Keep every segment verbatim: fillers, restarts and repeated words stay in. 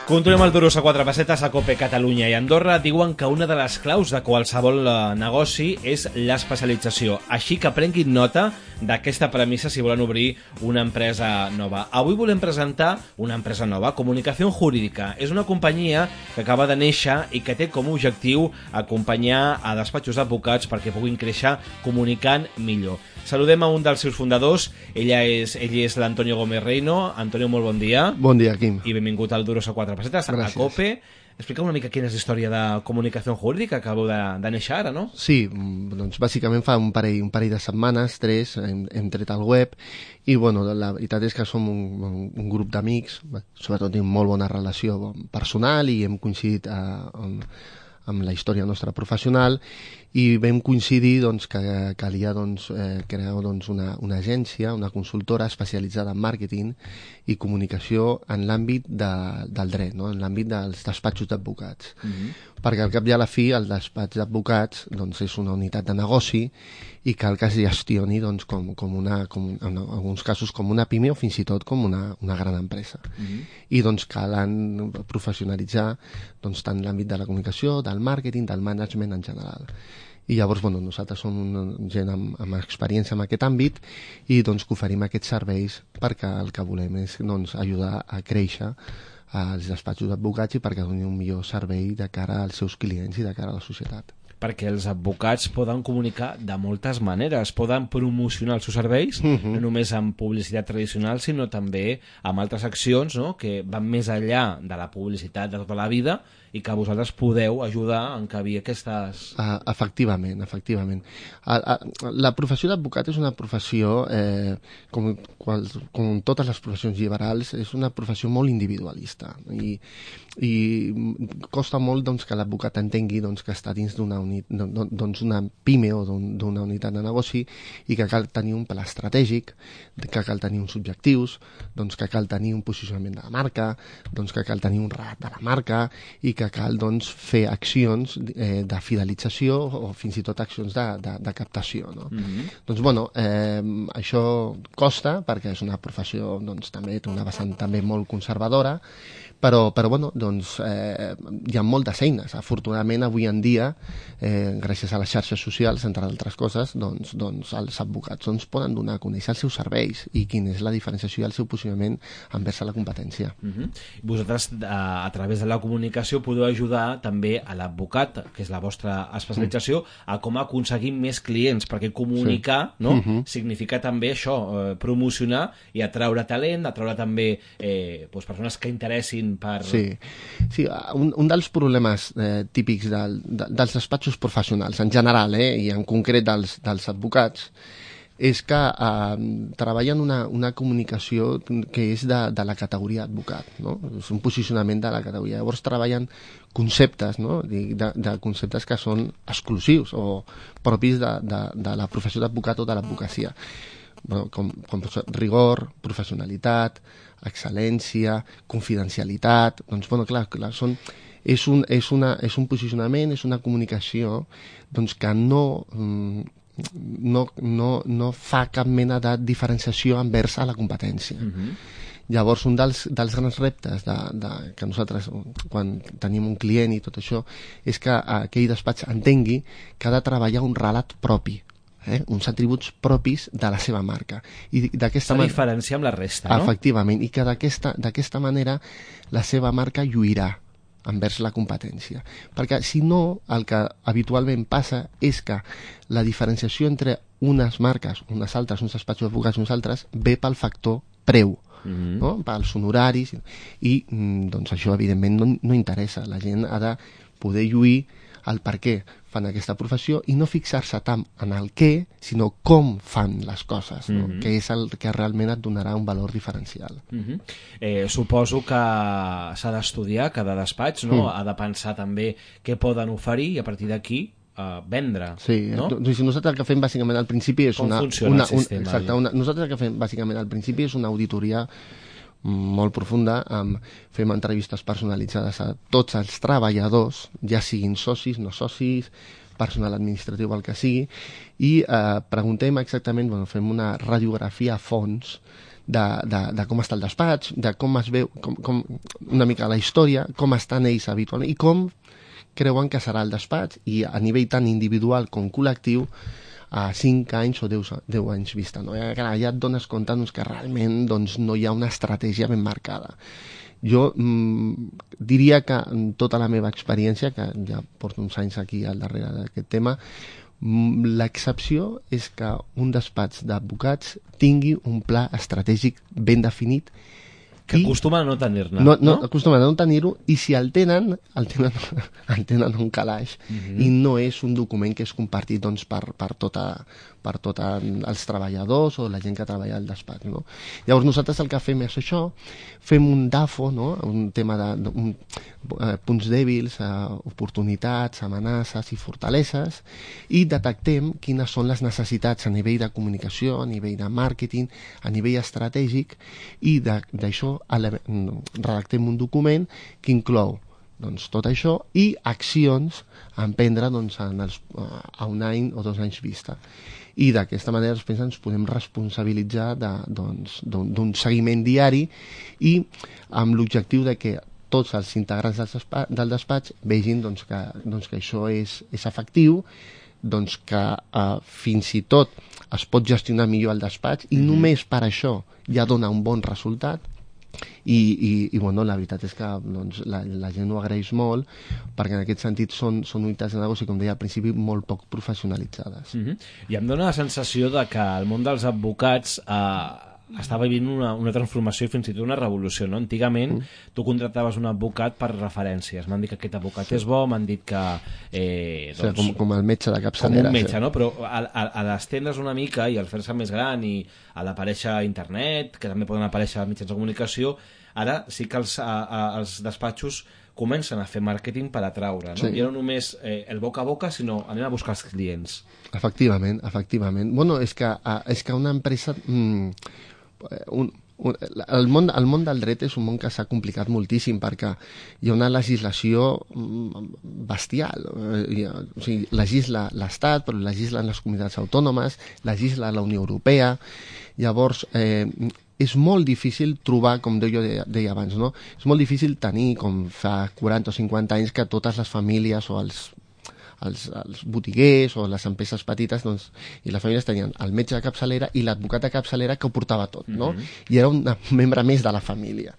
Continuem el Duros a quatre pessetes a COPE Catalunya i Andorra. Diuen que una de les claus de qualsevol negoci és l'especialització. Així que prenguin nota d'aquesta premissa si volen obrir una empresa nova. Avui volem presentar una empresa nova, Comunicación Jurídica. És una companyia que acaba de néixer i que té com a objectiu acompanyar a despatxos d'advocats perquè puguin créixer comunicant millor. Saludem a un dels seus fundadors. Ella és, ell és l'Antonio Gómez Reino. Antonio, molt bon dia. Bon dia, Quim. I benvingut al Duros a quatre pessetes, Gràcies. a COPE. Explica una mica quina és la història de Comunicación Jurídica, que acabeu de, de néixer ara, no? Sí, doncs bàsicament fa un parell, un parell de setmanes, tres, hem, hem tret el web i bueno, la veritat és que som un, un, un grup d'amics, sobretot tenim molt bona relació personal i hem coincidit a, amb, amb la història nostra professional i vam coincidir doncs, que calia doncs, eh, crear doncs, una, una agència, una consultora especialitzada en màrqueting i comunicació en l'àmbit de, del dret, no? En l'àmbit dels despatxos d'advocats. Mm-hmm. Perquè al cap i a la fi el despatx d'advocats doncs, és una unitat de negoci i cal que es gestioni doncs, com, com una, com, en alguns casos com una pime o fins i tot com una, una gran empresa. Mm-hmm. I doncs calen professionalitzar doncs, tant l'àmbit de la comunicació, del màrqueting, del management en general. I llavors bueno, nosaltres som una gent amb, amb experiència en aquest àmbit i doncs, que oferim aquests serveis perquè el que volem és doncs, ajudar a créixer als despatxos d'advocats i perquè donin un millor servei de cara als seus clients i de cara a la societat. Perquè els advocats poden comunicar de moltes maneres, poden promocionar els seus serveis, uh-huh. no només amb publicitat tradicional, sinó també amb altres accions, no?, que van més enllà de la publicitat de tota la vida i que vosaltres podeu ajudar a encabir aquestes... Uh, efectivament, efectivament. Uh, uh, la professió d'advocat és una professió, eh, com, qual, com totes les professions liberals, és una professió molt individualista i, i costa molt doncs, que l'advocat entengui doncs, que està dins d'una doncs una pime o d'una unitat de negoci i que cal tenir un pla estratègic, que cal tenir uns objectius, doncs que cal tenir un posicionament de la marca, doncs que cal tenir un relat de la marca i que cal doncs, fer accions eh, de fidelització o fins i tot accions de, de, de captació. No? Mm-hmm. Doncs bueno, eh, això costa perquè és una professió doncs, també té una vessant també molt conservadora, però, però bueno, doncs, eh, hi ha moltes eines. Afortunadament, avui en dia, eh, gràcies a les xarxes socials, entre altres coses, doncs, doncs els advocats doncs, poden donar a conèixer els seus serveis i quina és la diferenciació i el seu posicionament envers la competència. Uh-huh. Vosaltres, a, a través de la comunicació, podeu ajudar també a l'advocat, que és la vostra especialització, uh-huh. a com aconseguir més clients, perquè comunicar sí. no? uh-huh. significa també això, eh, promocionar i atraure talent, atraure també eh, doncs, persones que interessin per... Sí, sí un, un dels problemes eh, típics del, de, dels despatxos professionals en general eh, i en concret dels, dels advocats és que eh, treballen una, una comunicació que és de, de la categoria advocat, no? És un posicionament de la categoria. Llavors treballen conceptes, no? de, de conceptes que són exclusius o propis de, de, de la professió d'advocat o de l'advocacia. Bueno, com, com rigor, professionalitat, excel·lència, confidencialitat, doncs, bueno, clar, clar són, és, un, és, una, és un posicionament, és una comunicació doncs, que no, no, no, no fa cap mena de diferenciació envers a la competència. Mm-hmm. Llavors, un dels, dels grans reptes de, de, que nosaltres, quan tenim un client i tot això, és que aquell despatx entengui que ha de treballar un relat propi. Eh? Uns atributs propis de la seva marca. I d'aquesta man... diferenciar amb la resta, no? Efectivament, i que d'aquesta manera la seva marca lluirà envers la competència. Perquè si no, el que habitualment passa és que la diferenciació entre unes marques, unes altres, uns despatxos d'advocats, uns altres, ve pel factor preu, mm-hmm. no? Pels honoraris, i doncs això evidentment no, no interessa. La gent ha de poder lluir el per què fan aquesta professió i no fixar-se tant en el què, sinó com fan les coses, no? Mm-hmm. Que és el que realment et donarà un valor diferencial. Mm-hmm. eh, suposo que s'ha d'estudiar cada despatx, no? Mm. Ha de pensar també què poden oferir i a partir d'aquí uh, vendre. Sí, no? Doncs nosaltres el que fem bàsicament al principi és com una... funciona una, el sistema? Un, exacte, una, nosaltres el que fem bàsicament al principi és una auditoria molt profunda, amb, fem entrevistes personalitzades a tots els treballadors, ja siguin socis, no socis, personal administratiu, el que sigui, i eh, preguntem exactament, bueno, fem una radiografia a fons de, de, de com està el despatx, de com es veu, com, com, una mica la història, com estan ells habitualment i com creuen que serà el despatx, i a nivell tant individual com col·lectiu a cinc anys o deu anys vista. No? I, clar, ja et dones compte doncs, que realment doncs, no hi ha una estratègia ben marcada. Jo mm, diria que en tota la meva experiència, que ja porto uns anys aquí al darrere d'aquest tema, l'excepció és que un despatx d'advocats tingui un pla estratègic ben definit, que acostumen a no tenir-ne. No, no, no? Acostumen a no tenir-ho, i si el tenen, el tenen, el tenen un calaix, uh-huh. i no és un document que és compartit doncs, per, per tota per tots els treballadors o la gent que treballa al despatx. No? Llavors nosaltres el que fem és això, fem un D A F O, no? Un tema de un, eh, punts dèbils, eh, oportunitats, amenaces i fortaleses, i detectem quines són les necessitats a nivell de comunicació, a nivell de màrqueting, a nivell estratègic, i d'això redactem un document que inclou doncs, tot això i accions a emprendre doncs, en els, a un any o dos anys vista. I d'aquesta manera després ens podem responsabilitzar d'un doncs, seguiment diari, i amb l'objectiu de que tots els integrants del despatx, del despatx vegin doncs, que, doncs, que això és, és efectiu, doncs, que eh, fins i tot es pot gestionar millor el despatx, i mm-hmm. només per això ja dona un bon resultat. I, i, i bueno, la veritat és que doncs, la, la gent ho agraeix molt, perquè en aquest sentit són, són unitats de negoci, com deia al principi, molt poc professionalitzades. Mm-hmm. I em dóna la sensació de que el món dels advocats eh, està vivint una, una transformació i fins i tot una revolució, no? Antigament mm. tu contractaves un advocat per referències, m'han dit que aquest advocat sí. és bo, m'han dit que eh, doncs, o sigui, com, com el metge de capçalera, com un metge, sí. no? Però a, a, a l'estendre's una mica i al fer-se més gran i a l'aparèixer a internet, que també poden aparèixer a mitjans de comunicació, ara sí que els, a, a, els despatxos comencen a fer màrqueting per atraure, no? Sí. Ja no només eh, el boca a boca, sinó anem a buscar els clients. Efectivament, efectivament. Bueno, és que, és que una empresa... Mm, un, un, el, món, el món del dret és un món que s'ha complicat moltíssim, perquè hi ha una legislació bestial. O sigui, legisla l'Estat, però legislen les comunitats autònomes, legisla la Unió Europea. Llavors, eh, és molt difícil trobar, com jo deia, deia abans, no? És molt difícil tenir, com fa quaranta o cinquanta anys, que totes les famílies o els Els, els botiguers o les empreses petites doncs, i les famílies tenien el metge de capçalera i l'advocat de capçalera que ho portava tot, no? Mm-hmm. I era un membre més de la família.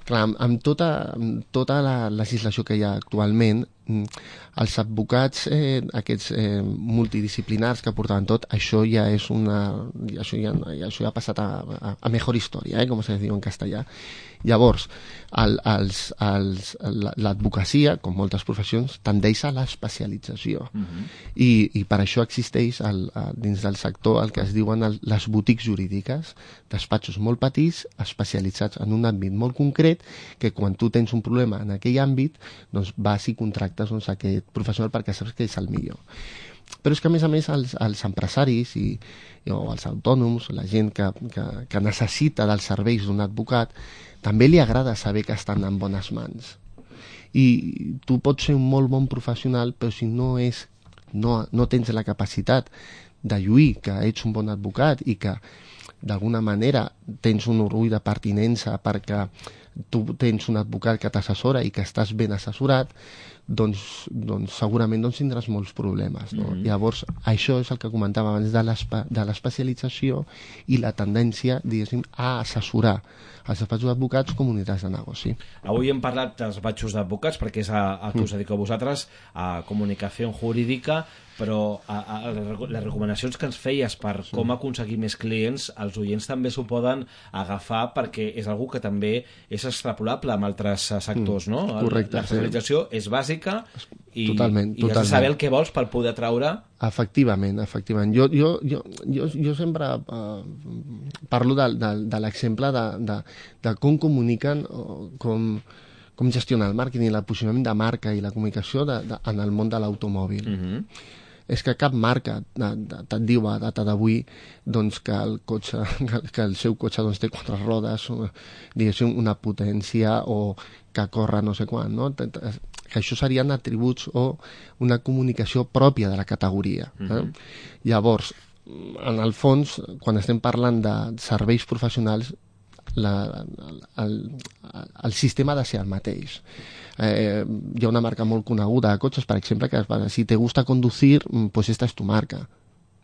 Clar, amb, amb, tota, amb tota la legislació que hi ha actualment, els advocats eh, aquests eh, multidisciplinars que portaven tot, això ja és una... això ja, això ja ha passat a, a, a mejor història, eh, com se diu en castellà. Llavors, el, els, els, l'advocacia, com moltes professions, tendeix a l'especialització. Uh-huh. I, I per això existeix el, dins del sector el que es diuen el, les boutiques jurídiques, despatxos molt petits, especialitzats en un àmbit molt concret, que quan tu tens un problema en aquell àmbit, doncs vas i contractes doncs, aquest professional perquè saps que és el millor. Però és que, a més a més, els, els empresaris i, o els autònoms, la gent que, que, que necessita dels serveis d'un advocat, també li agrada saber que estan en bones mans. I tu pots ser un molt bon professional, però si no, és, no, no tens la capacitat de lluir que ets un bon advocat i que d'alguna manera tens un orgull de pertinença perquè tu tens un advocat que t'assessora i que estàs ben assessorat, doncs, doncs segurament doncs, tindràs molts problemes. No? Mm-hmm. Llavors, això és el que comentava abans de l'especialització i la tendència, diguéssim, a assessorar els despatxos d'advocats com unitats de negoci. Avui hem parlat dels despatxos d'advocats perquè és a, a què us dediqueu vosaltres, a comunicació jurídica, però a, a, les recomanacions que ens feies per sí. com aconseguir més clients, els oients també s'ho poden agafar perquè és algú que també és extrapolable amb altres sectors, no? Correcte. L'especialització sí. és bàsica i, totalment, i has de saber el que vols per poder atraure. Efectivament, efectivament. Jo, jo, jo, jo, jo sempre uh, parlo de, de, de l'exemple de, de, de com comuniquen, com, com gestionen el màrqueting, el posicionament de marca i la comunicació de, de, en el món de l'automòbil. Mm-hmm. És que cap marca te't diu a data d'avui doncs, que, el cotxe, que, que el seu cotxe doncs, té quatre rodes, diguéssim, una potència o que corre no sé quan, no? Que això serien atributs o una comunicació pròpia de la categoria. Eh? Uh-huh. Llavors, en el fons, quan estem parlant de serveis professionals, la, el, el sistema ha de ser el mateix. Eh, hi ha una marca molt coneguda de cotxes, per exemple, que si te gusta conducir, pues esta es tu marca.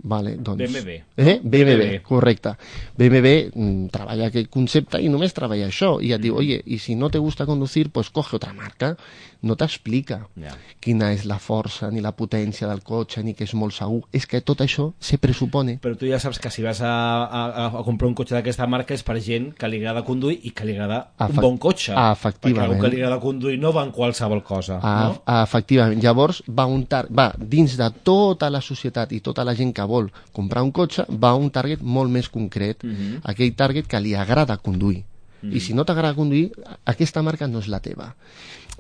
Vale, doncs... B M W. Eh? B M W, B M W. correcte. B M W mm, treballa aquest concepte i només treballa això. I et mm. diu, oye, y si no te gusta conducir, pues coge otra marca. No t'explica yeah. quina és la força ni la potència del cotxe, ni que és molt segur. És que tot això se presupone. Però tu ja saps que si vas a, a, a comprar un cotxe d'aquesta marca és per gent que li agrada conduir i que li agrada un Efect... bon cotxe. Ah, efectivament. Perquè algú que li agrada conduir no va en qualsevol cosa. Ah, no? ah, efectivament. Llavors va, un tar... va dins de tota la societat i tota la gent que vol comprar un cotxe, va a un target molt més concret, uh -huh. aquell target que li agrada conduir. Uh -huh. I si no t'agrada conduir, aquesta marca no és la teva.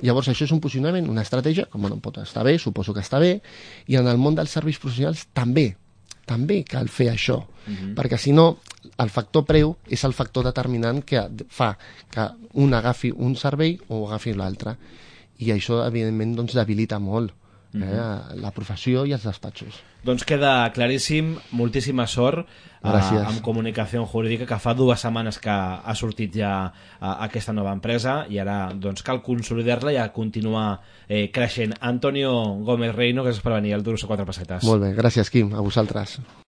Llavors això és un posicionament, una estratègia que bueno, pot estar bé, suposo que està bé, i en el món dels serveis professionals també, també cal fer això, uh -huh. perquè si no el factor preu és el factor determinant que fa que un agafi un servei o agafi l'altre, i això evidentment doncs, debilita molt eh, uh-huh. la professió i els despatxos. Doncs queda claríssim, moltíssima sort eh, amb comunicació jurídica, que fa dues setmanes que ha sortit ja eh, aquesta nova empresa i ara doncs, cal consolidar-la i continuar eh, creixent. Antonio Gómez Reino, gràcies per venir al Duros a quatre pessetes. Molt bé, gràcies Quim, a vosaltres.